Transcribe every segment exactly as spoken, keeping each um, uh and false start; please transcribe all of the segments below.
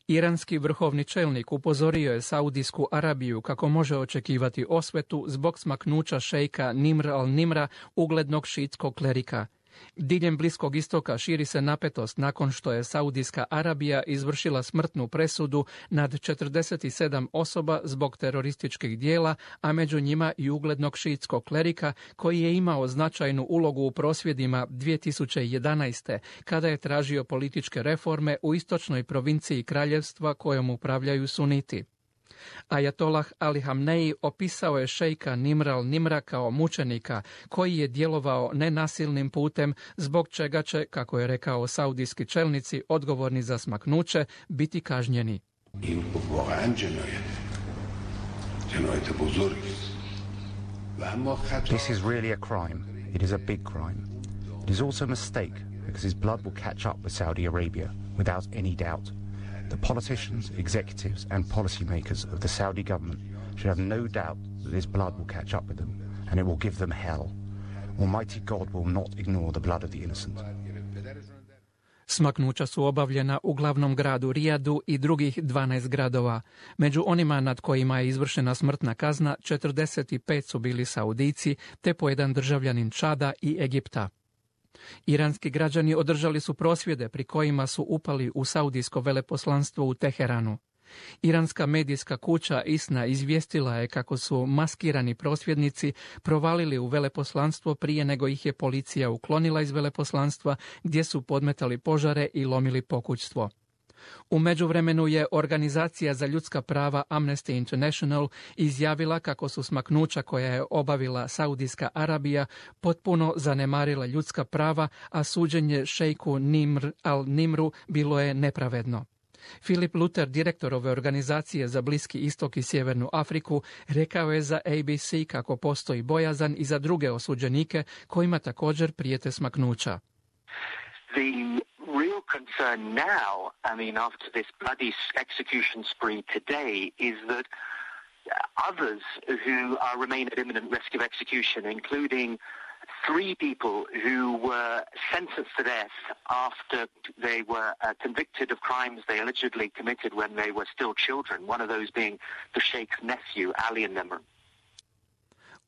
Iranski vrhovni čelnik upozorio je Saudijsku Arabiju kako može očekivati osvetu zbog smaknuća šejka Nimr al-Nimra, uglednog šiitskog klerika. Diljem Bliskog istoka širi se napetost nakon što je Saudijska Arabija izvršila smrtnu presudu nad četrdeset sedam osoba zbog terorističkih dijela, a među njima i uglednog šiitskog klerika koji je imao značajnu ulogu u prosvjedima dvije tisuće jedanaeste. kada je tražio političke reforme u istočnoj provinciji kraljevstva kojom upravljaju suniti. Ajatolah Ali Hamneji opisao je šejka Nimra al-Nimra kao mučenika koji je djelovao nenasilnim putem, zbog čega će, kako je rekao saudijski čelnici odgovorni za smaknuće, biti kažnjeni. This is really a crime. It is a big crime. It is also a mistake because his blood will catch up with Saudi Arabia without any doubt. The politicians, executives and policymakers of the Saudi government should have no doubt that this blood will catch up with them and it will give them hell. Almighty God will not ignore the blood of the innocent. Smaknuća su obavljena u glavnom gradu Rijadu i drugih dvanaest gradova. Među onima nad kojima je izvršena smrtna kazna, četrdeset pet su bili Saudijci, te po jedan državljanin Čada i Egipta. Iranski građani održali su prosvjede pri kojima su upali u saudijsko veleposlanstvo u Teheranu. Iranska medijska kuća ISNA izvijestila je kako su maskirani prosvjednici provalili u veleposlanstvo prije nego ih je policija uklonila iz veleposlanstva, gdje su podmetali požare i lomili pokućstvo. U međuvremenu je Organizacija za ljudska prava Amnesty International izjavila kako su smaknuća koja je obavila Saudijska Arabija potpuno zanemarila ljudska prava, a suđenje šejku Nimr al-Nimru bilo je nepravedno. Filip Luter, direktor ove organizacije za Bliski istok i Sjevernu Afriku, rekao je za A B C kako postoji bojazan i za druge osuđenike kojima također prijete smaknuća. The real concern now, I mean, after this bloody execution spree today, is that others who are remain at imminent risk of execution, including three people who were sentenced to death after they were uh, convicted of crimes they allegedly committed when they were still children, one of those being the Sheikh's nephew, Ali al-Nimr.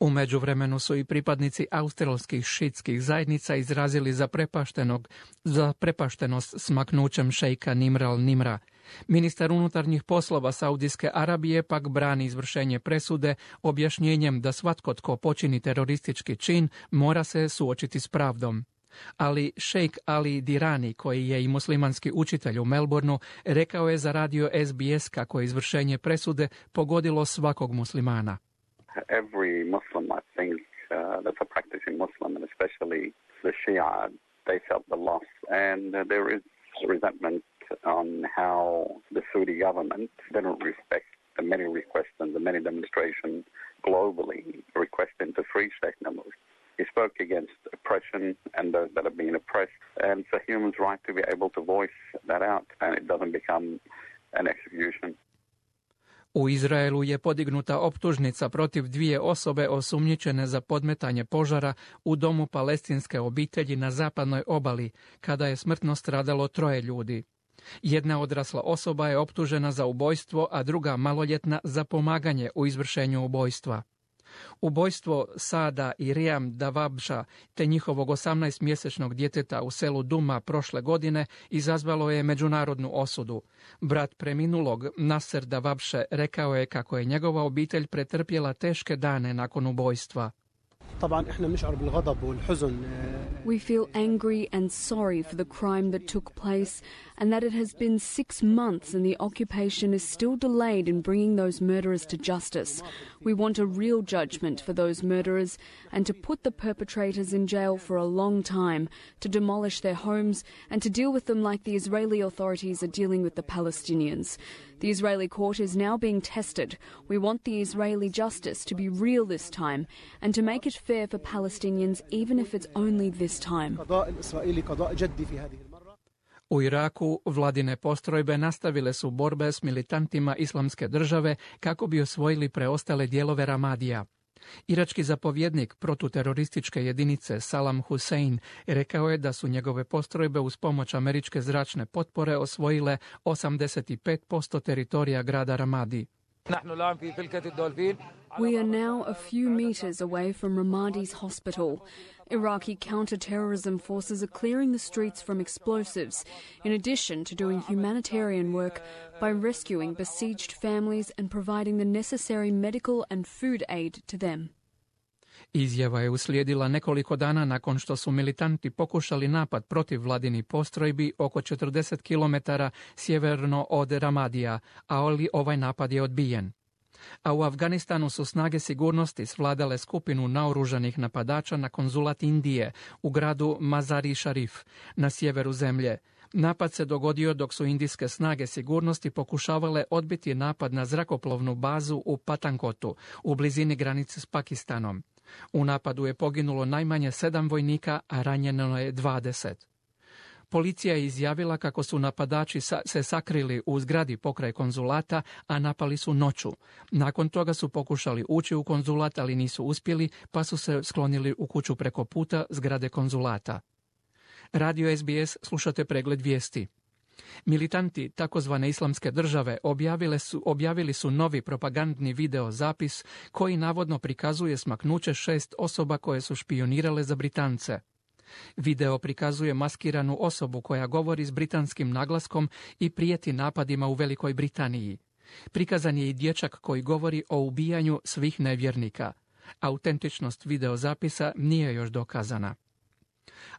U međuvremenu su i pripadnici australskih šiitskih zajednica izrazili zaprepaštenog, zaprepaštenost smaknućem šejka Nimra al-Nimra. Ministar unutarnjih poslova Saudijske Arabije pak brani izvršenje presude objašnjenjem da svatko tko počini teroristički čin mora se suočiti s pravdom. Ali šejk Ali Dirani, koji je i muslimanski učitelj u Melbourneu, rekao je za radio S B S kako je izvršenje presude pogodilo svakog muslimana. Every Muslim, I think, uh, that's a practicing Muslim, and especially the Shia, they felt the loss. And uh, there is resentment on how the Saudi government didn't respect the many requests and the many demonstrations globally requesting to free Sheikh Nimr. He spoke against oppression and those that are being oppressed, and it's a human's right to be able to voice that out, and it doesn't become an execution. U Izraelu je podignuta optužnica protiv dvije osobe osumnjičene za podmetanje požara u domu palestinske obitelji na zapadnoj obali, kada je smrtno stradalo troje ljudi. Jedna odrasla osoba je optužena za ubojstvo, a druga maloljetna za pomaganje u izvršenju ubojstva. Ubojstvo Sada i Rijam Davabša te njihovog osamnaestomjesečnog djeteta u selu Duma prošle godine izazvalo je međunarodnu osudu. Brat preminulog, Nasser Davabše, rekao je kako je njegova obitelj pretrpjela teške dane nakon ubojstva. We feel angry and sorry for the crime that took place and that it has been six months and the occupation is still delayed in bringing those murderers to justice. We want a real judgment for those murderers and to put the perpetrators in jail for a long time, to demolish their homes and to deal with them like the Israeli authorities are dealing with the Palestinians. The Israeli court is now being tested. We want the Israeli justice to be real this time and to make it fair for Palestinians even if it's only this time. U Iraku vladine postrojbe nastavile su borbe s militantima Islamske države kako bi osvojili preostale dijelove Ramadija. Irački zapovjednik protuterorističke jedinice Salam Hussein rekao je da su njegove postrojbe uz pomoć američke zračne potpore osvojile osamdeset pet posto teritorija grada Ramadi. We are now a few meters away from Ramadi's hospital. Iraqi counter-terrorism forces are clearing the streets from explosives, in addition to doing humanitarian work by rescuing besieged families and providing the necessary medical and food aid to them. Izjava je uslijedila nekoliko dana nakon što su militanti pokušali napad protiv vladinih postrojbi oko četrdeset kilometara sjeverno od Ramadija, ali ovaj napad je odbijen. A u Afganistanu su snage sigurnosti svladale skupinu naoružanih napadača na konzulat Indije u gradu Mazari Sharif na sjeveru zemlje. Napad se dogodio dok su indijske snage sigurnosti pokušavale odbiti napad na zrakoplovnu bazu u Patankotu u blizini granice s Pakistanom. U napadu je poginulo najmanje sedam vojnika, a ranjeno je dvadeset. Policija je izjavila kako su napadači se sakrili u zgradi pokraj konzulata, a napali su noću. Nakon toga su pokušali ući u konzulat, ali nisu uspjeli, pa su se sklonili u kuću preko puta zgrade konzulata. Radio S B S, slušate pregled vijesti. Militanti takozvane islamske države objavili su, objavili su novi propagandni video zapis koji navodno prikazuje smaknuće šest osoba koje su špionirale za Britance. Video prikazuje maskiranu osobu koja govori s britanskim naglaskom i prijeti napadima u Velikoj Britaniji. Prikazan je i dječak koji govori o ubijanju svih nevjernika. Autentičnost videozapisa nije još dokazana.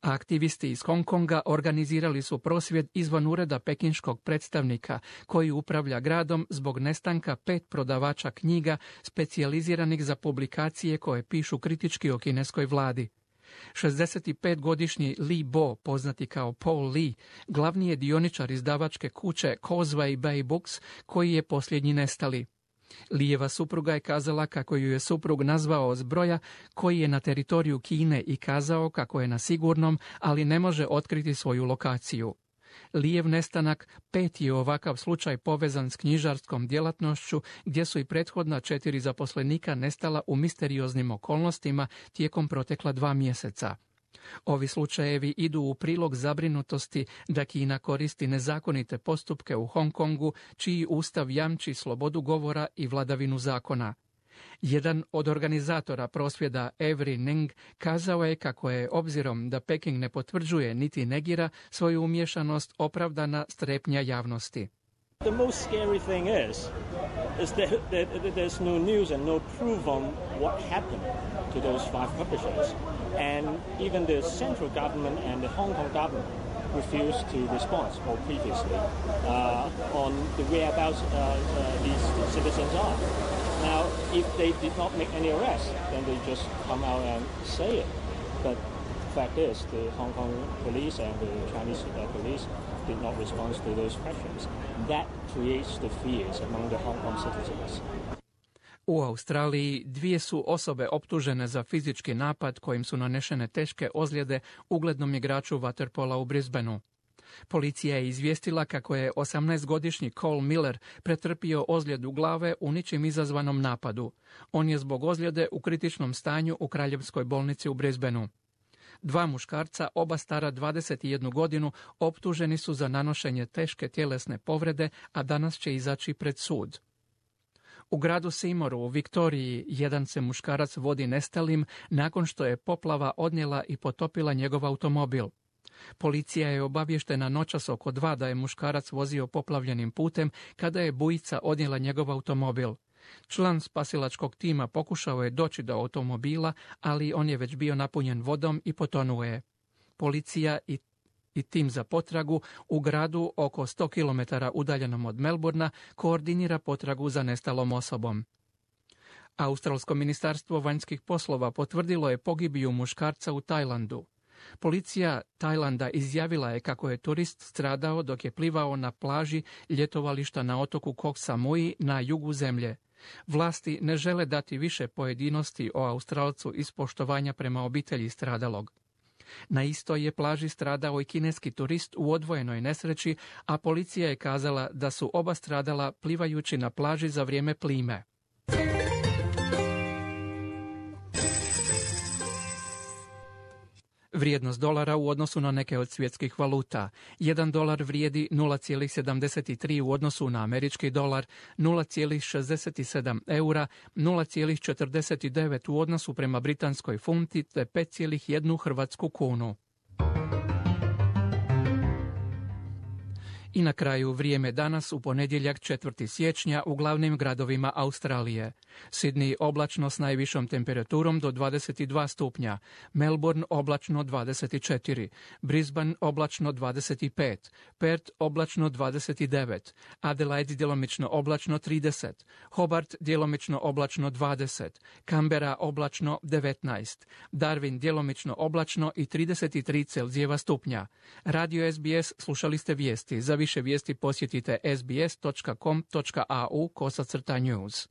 A aktivisti iz Hong Konga organizirali su prosvjed izvan ureda pekinškog predstavnika koji upravlja gradom zbog nestanka pet prodavača knjiga specijaliziranih za publikacije koje pišu kritički o kineskoj vladi. šezdesetpetgodišnji Li Bo, poznati kao Paul Lee, glavni je dioničar izdavačke kuće Causeway Bay Books, koji je posljednji nestali. Lijeva supruga je kazala kako ju je suprug nazvao s broja koji je na teritoriju Kine i kazao kako je na sigurnom, ali ne može otkriti svoju lokaciju. Lijev nestanak peti je ovakav slučaj povezan s knjižarskom djelatnošću, gdje su i prethodna četiri zaposlenika nestala u misterioznim okolnostima tijekom protekla dva mjeseca. Ovi slučajevi idu u prilog zabrinutosti da Kina koristi nezakonite postupke u Hong Kongu, čiji ustav jamči slobodu govora i vladavinu zakona. Jedan od organizatora prosvjeda Avery Ning kazao je kako je, obzirom da Peking ne potvrđuje niti negira svoju umješanost, opravdana strepnja javnosti. The most scary thing is, is that, that, that there's no news and no proof on what happened to those five publishers. And even the central government and the Hong Kong government refused to respond, or previously, uh, on the whereabouts uh, uh, these citizens are. Now, if they did not make any arrests, then they just come out and say it. But the fact is, the Hong Kong police and the Chinese uh, police did not respond to those questions. That creates the fears among the Hong Kong citizens. U Australiji dvije su osobe optužene za fizički napad kojim su nanešene teške ozljede uglednom igraču vaterpola u Brisbaneu. Policija je izvijestila kako je osamnaestogodišnji Cole Miller pretrpio ozljedu glave u ničim izazvanom napadu. On je zbog ozljede u kritičnom stanju u Kraljevskoj bolnici u Brisbaneu. Dva muškarca, oba stara dvadeset jednu godinu, optuženi su za nanošenje teške tjelesne povrede, a danas će izaći pred sud. U gradu Seymouru u Viktoriji jedan se muškarac vodi nestalim nakon što je poplava odnijela i potopila njegov automobil. Policija je obavještena noćas oko dva da je muškarac vozio poplavljenim putem kada je bujica odnijela njegov automobil. Član spasilačkog tima pokušao je doći do automobila, ali on je već bio napunjen vodom i potonuo je. Policija i i tim za potragu u gradu oko sto kilometara udaljenom od Melbourna koordinira potragu za nestalom osobom. Australsko ministarstvo vanjskih poslova potvrdilo je pogibiju muškarca u Tajlandu. Policija Tajlanda izjavila je kako je turist stradao dok je plivao na plaži ljetovališta na otoku Koh Samui na jugu zemlje. Vlasti ne žele dati više pojedinosti o Australcu iz poštovanja prema obitelji stradalog. Na istoj je plaži stradao i kineski turist u odvojenoj nesreći, a policija je kazala da su oba stradala plivajući na plaži za vrijeme plime. Vrijednost dolara u odnosu na neke od svjetskih valuta. Jedan dolar vrijedi nula zarez sedamdeset tri u odnosu na američki dolar, nula zarez šezdeset sedam eura, nula zarez četrdeset devet u odnosu prema britanskoj funti te pet zarez jedan hrvatsku kunu. I na kraju vrijeme danas u ponedjeljak četvrtog siječnja u glavnim gradovima Australije. Sydney oblačno s najvišom temperaturom do dvadeset dva stupnja, Melbourne oblačno dvadeset četiri, Brisbane oblačno dvadeset pet, Perth oblačno dvadeset devet, Adelaide djelomično oblačno trideset, Hobart djelomično oblačno dvadeset, Canberra oblačno devetnaest, Darwin djelomično oblačno i trideset tri Celzijeva stupnja. Radio S B S slušali ste vijesti. Za više vijesti posjetite sbs točka com točka a u kosacrta news.